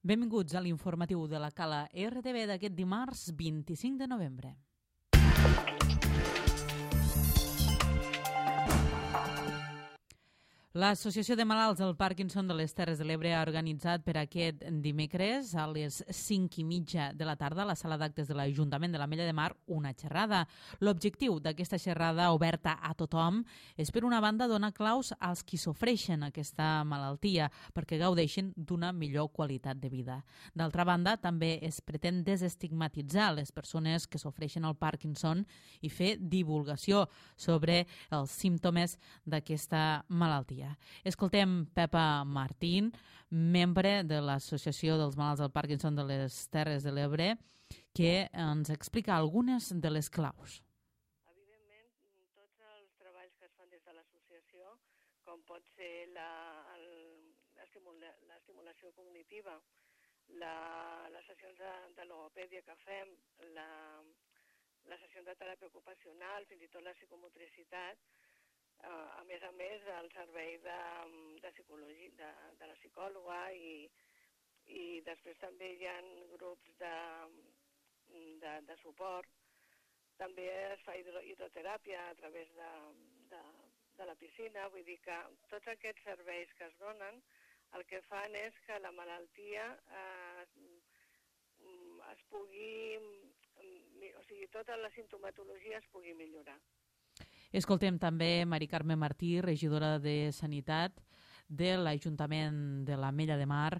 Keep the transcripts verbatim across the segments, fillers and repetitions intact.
Benvinguts a l'informatiu de la Cala R T V d'aquest dimarts vint-i-cinc de novembre. L'Associació de Malalts del Parkinson de les Terres de l'Ebre ha organitzat per aquest dimecres a les cinc i mitja de la tarda a la sala d'actes de l'Ajuntament de l'Ametlla de Mar una xerrada. L'objectiu d'aquesta xerrada oberta a tothom és, per una banda, donar claus als qui sofreixen aquesta malaltia perquè gaudeixin d'una millor qualitat de vida. D'altra banda, també es pretén desestigmatitzar les persones que sofreixen el Parkinson i fer divulgació sobre els símptomes d'aquesta malaltia. Escoltem Pepa Martín, membre de l'Associació dels Malalts del Parkinson de les Terres de l'Ebre, que ens explica algunes de les claus. Evidentment, tots els treballs que es fan des de l'associació, com pot ser la, el, l'estimula, l'estimulació cognitiva, la, les sessions de, de logopèdia que fem, la, les sessions de teràpia ocupacional, fins i tot la psicomotricitat, Uh, a més a més, el servei de, de psicologia, de, de la psicòloga i, i després també hi ha grups de, de, de suport. També es fa hidro, hidroteràpia a través de, de, de la piscina, vull dir que tots aquests serveis que es donen el que fan és que la malaltia eh, es pugui, o sigui, tota la simptomatologia es pugui millorar. Escoltem també Mari Carme Martí, regidora de Sanitat de l'Ajuntament de l'Ametlla de Mar,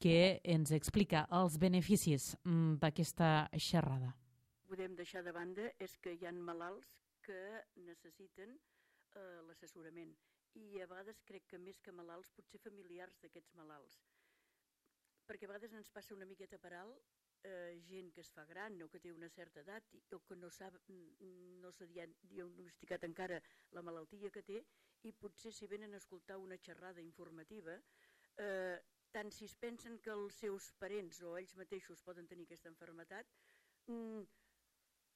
que ens explica els beneficis d'aquesta xerrada. Podem deixar de banda és que hi ha malalts que necessiten eh, l'assessorament i a vegades crec que més que malalts, potser familiars d'aquests malalts. Perquè a vegades ens passa una miqueta per alt Eh, gent que es fa gran o que té una certa edat o que no s'ha no s'ha diagnosticat encara la malaltia que té i potser si venen a escoltar una xerrada informativa, eh, tant si es pensen que els seus parents o ells mateixos poden tenir aquesta malaltia, mm,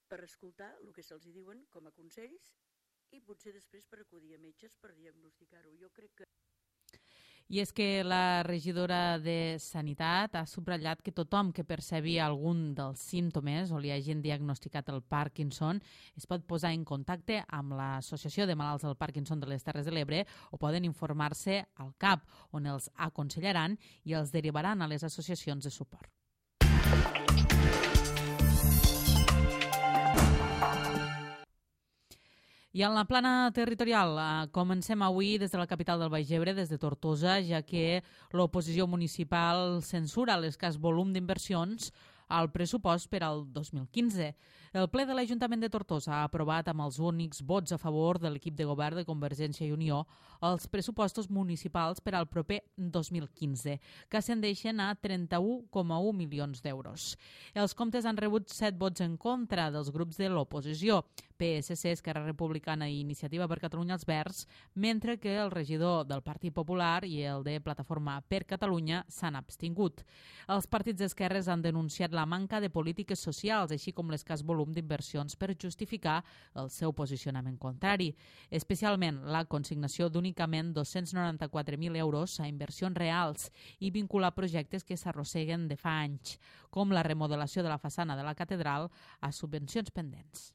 per escoltar el que se'ls diuen com a consells i potser després per acudir a metges per diagnosticar-ho. Jo crec que I és que la regidora de Sanitat ha subratllat que tothom que percebi algun dels símptomes o li hagin diagnosticat el Parkinson es pot posar en contacte amb l'Associació de Malalts del Parkinson de les Terres de l'Ebre o poden informar-se al C A P, on els aconsellaran i els derivaran a les associacions de suport. I en la plana territorial, eh, comencem avui des de la capital del Baix Ebre, des de Tortosa, ja que l'oposició municipal censura l'escàs volum d'inversions al pressupost per al dos mil quinze. El ple de l'Ajuntament de Tortosa ha aprovat amb els únics vots a favor de l'equip de govern de Convergència i Unió els pressupostos municipals per al proper dos mil quinze, que ascendeixen a trenta-un coma un milions d'euros. Els comptes han rebut set vots en contra dels grups de l'oposició, P S C, Esquerra Republicana i Iniciativa per Catalunya els Verds, mentre que el regidor del Partit Popular i el de Plataforma per Catalunya s'han abstingut. Els partits d'esquerres han denunciat la manca de polítiques socials, així com l'escàs volum d'inversions per justificar el seu posicionament contrari, especialment la consignació d'únicament dos-cents noranta-quatre mil euros a inversions reals i vincular projectes que s'arrosseguen de fa anys, com la remodelació de la façana de la catedral a subvencions pendents.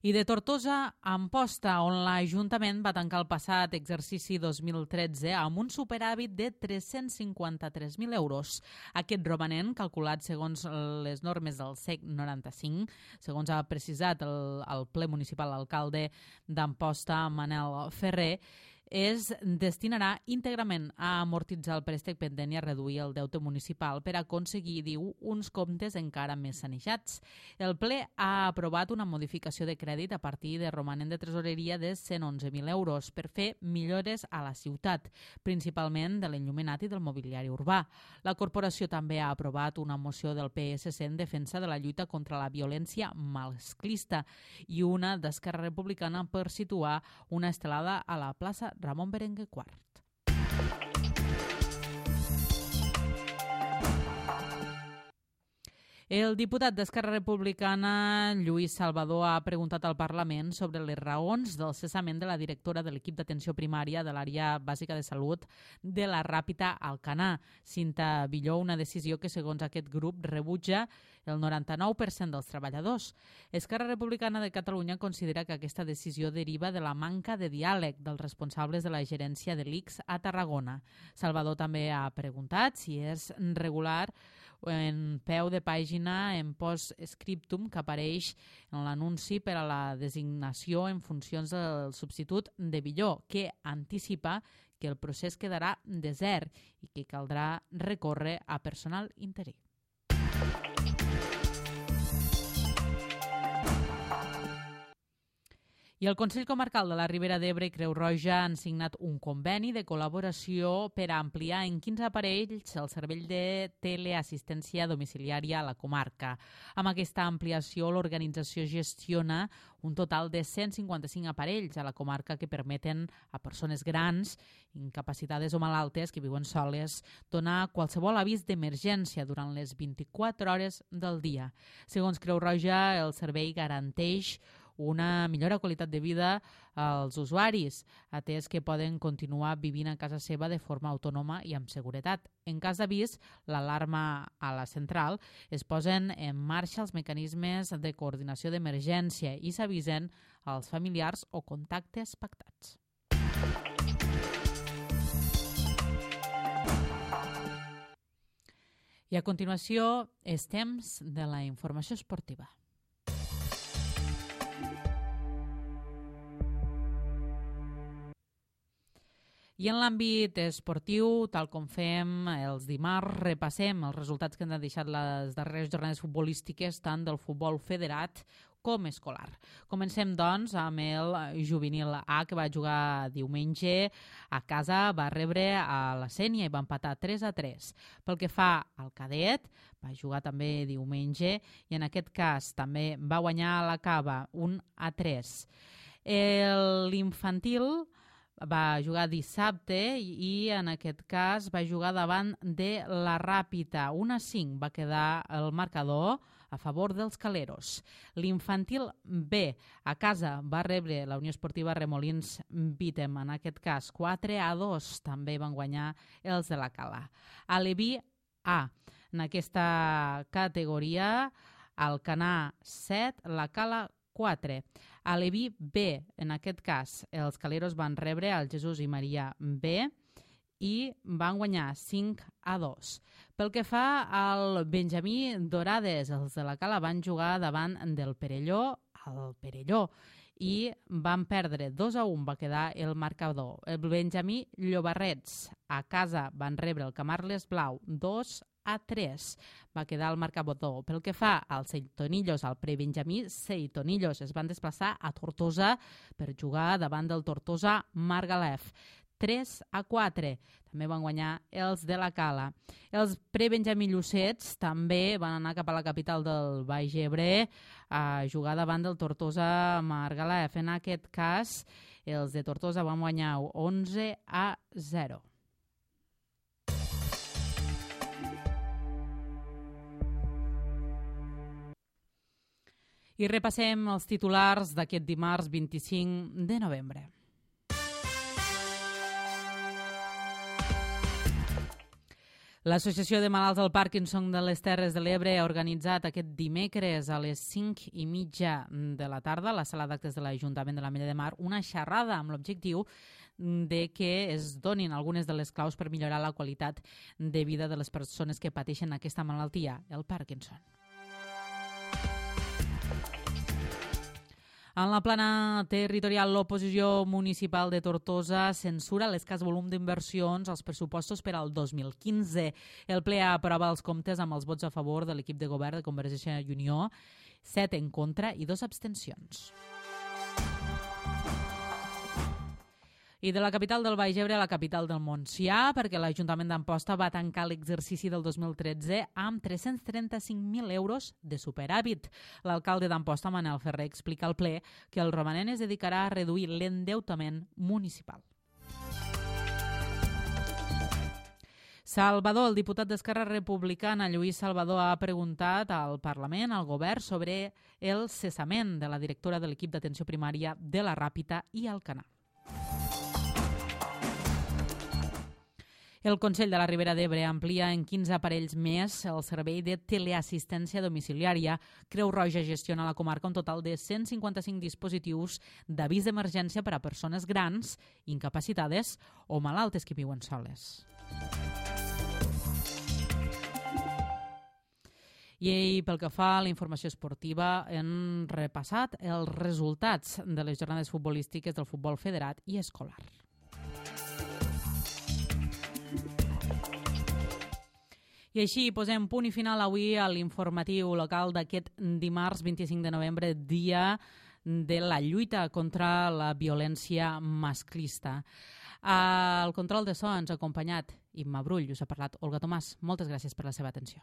I de Tortosa a Amposta, on l'Ajuntament va tancar el passat exercici dos mil tretze amb un superàvit de tres-cents cinquanta-tres mil euros. Aquest romanent, calculat segons les normes del S E C noranta-cinc, segons ha precisat el, el ple municipal l'alcalde d'Amposta, Manel Ferrer, es destinarà íntegrament a amortitzar el préstec pendent i a reduir el deute municipal per aconseguir, diu, uns comptes encara més sanejats. El ple ha aprovat una modificació de crèdit a partir de romanent de tresoreria de cent onze mil euros per fer millores a la ciutat, principalment de l'enllumenat i del mobiliari urbà. La corporació també ha aprovat una moció del P S C en defensa de la lluita contra la violència masclista i una d'Esquerra Republicana per situar una estelada a la plaça Ramon Berenguer quart. El diputat d'Esquerra Republicana, Lluís Salvador, ha preguntat al Parlament sobre les raons del cessament de la directora de l'equip d'atenció primària de l'àrea bàsica de salut de la Ràpita Alcanar, Cinta Villó, una decisió que, segons aquest grup, rebutja el noranta-nou per cent dels treballadors. Esquerra Republicana de Catalunya considera que aquesta decisió deriva de la manca de diàleg dels responsables de la gerència de l'I C S a Tarragona. Salvador també ha preguntat si és regular en peu de pàgina en post-scriptum que apareix en l'anunci per a la designació en funcions del substitut de Villó, que anticipa que el procés quedarà desert i que caldrà recórrer a personal interí. I el Consell Comarcal de la Ribera d'Ebre i Creu Roja han signat un conveni de col·laboració per a ampliar en quinze aparells el servei de teleassistència domiciliària a la comarca. Amb aquesta ampliació, l'organització gestiona un total de cent cinquanta-cinc aparells a la comarca que permeten a persones grans, incapacitades o malaltes que viuen soles donar qualsevol avís d'emergència durant les vint-i-quatre hores del dia. Segons Creu Roja, el servei garanteix una millora qualitat de vida als usuaris, atès que poden continuar vivint a casa seva de forma autònoma i amb seguretat. En cas d'avís, l'alarma a la central, es posen en marxa els mecanismes de coordinació d'emergència i s'avisen als familiars o contactes pactats. I a continuació, és temps de la informació esportiva. I en l'àmbit esportiu, tal com fem els dimarts, repassem els resultats que han deixat les darreres jornades futbolístiques tant del futbol federat com escolar. Comencem, doncs, amb el juvenil A, que va jugar diumenge a casa, va rebre a la Sénia i va empatar tres a tres. Pel que fa al cadet, va jugar també diumenge i en aquest cas també va guanyar a la Cava un a tres. L'infantil va jugar dissabte i en aquest cas va jugar davant de la Ràpita. un a cinc va quedar el marcador a favor dels caleros. L'infantil B a casa va rebre la Unió Esportiva Remolins Vítem, en aquest cas quatre a dos també van guanyar els de la Cala. A l'Eví A, en aquesta categoria, Alcanar set, la Cala quatre. A l'Eví B, en aquest cas, els caleros van rebre el Jesús i Maria B i van guanyar cinc a dos. Pel que fa al Benjamí Dorades, els de la Cala van jugar davant del Perelló al Perelló i van perdre dos a un, va quedar el marcador. El Benjamí Llobarrets a casa van rebre el Camarles Blau dos a tres, va quedar el marcador. Pel que fa als Seitonillos, al prebenjamí, Seitonillos es van desplaçar a Tortosa per jugar davant del Tortosa Margalef. tres a quatre. També van guanyar els de la Cala. Els prebenjamí Llucets també van anar cap a la capital del Baix Ebre a jugar davant del Tortosa Margalef. En aquest cas, els de Tortosa van guanyar onze a zero. I repassem els titulars d'aquest dimarts vint-i-cinc de novembre. L'Associació de Malalts del Parkinson de les Terres de l'Ebre ha organitzat aquest dimecres a les cinc i mitja de la tarda a la sala d'actes de l'Ajuntament de l'Ametlla de Mar una xerrada amb l'objectiu de que es donin algunes de les claus per millorar la qualitat de vida de les persones que pateixen aquesta malaltia, el Parkinson. En la plana territorial, l'oposició municipal de Tortosa censura l'escàs volum d'inversions als pressupostos per al dos mil quinze. El ple aprova els comptes amb els vots a favor de l'equip de govern de Convergència i Unió, set en contra i dos abstencions. I de la capital del Baix Ebre a la capital del Montsià, perquè l'Ajuntament d'Amposta va tancar l'exercici del dos mil tretze amb tres-cents trenta-cinc mil euros de superàvit. L'alcalde d'Amposta, Manel Ferrer, explica al ple que el romanent es dedicarà a reduir l'endeutament municipal. Salvador, el diputat d'Esquerra Republicana, Lluís Salvador, ha preguntat al Parlament, al govern, sobre el cessament de la directora de l'equip d'atenció primària de la Ràpita i Alcanar. El Consell de la Ribera d'Ebre amplia en quinze aparells més el servei de teleassistència domiciliària. Creu Roja gestiona a la comarca un total de cent cinquanta-cinc dispositius d'avís d'emergència per a persones grans, incapacitades o malaltes que viuen soles. I pel que fa a la informació esportiva, hem repassat els resultats de les jornades futbolístiques del futbol federat i escolar. I així posem punt i final avui a l'informatiu local d'aquest dimarts vint-i-cinc de novembre, dia de la lluita contra la violència masclista. Al control de so ens ha acompanyat Imma Brull, us ha parlat Olga Tomàs. Moltes gràcies per la seva atenció.